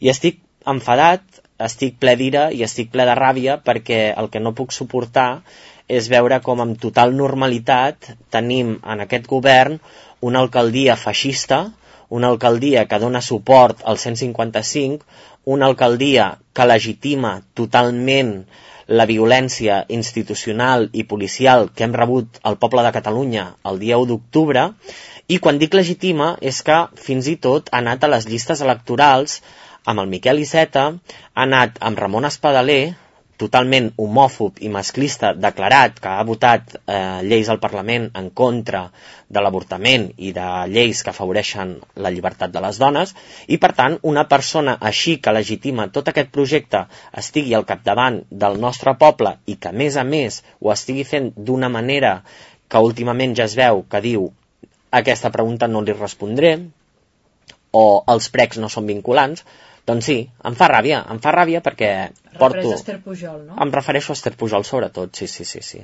I estic enfadat, estic ple d'ira i estic ple de ràbia perquè el que no puc suportar és veure com amb total normalitat tenim en aquest govern una alcaldia feixista, una alcaldia que dona suport al 155, una alcaldia que legitima totalment la violència institucional i policial que hem rebut al poble de Catalunya el dia 1 d'octubre, i quan dic legitima és que fins i tot ha anat a les llistes electorals amb el Miquel Iceta, ha anat amb Ramon Espadaler, totalment homòfob i masclista, declarat que ha votat lleis al Parlament en contra de l'avortament i de lleis que afavoreixen la llibertat de les dones, i per tant una persona així que legitima tot aquest projecte estigui al capdavant del nostre poble i que a més ho estigui fent d'una manera que últimament ja es veu que diu aquesta pregunta no li respondré o els precs no són vinculants, doncs sí, em fa ràbia perquè porto... Refereix a Esther Pujol, no? Em refereixo a Esther Pujol sobretot, sí.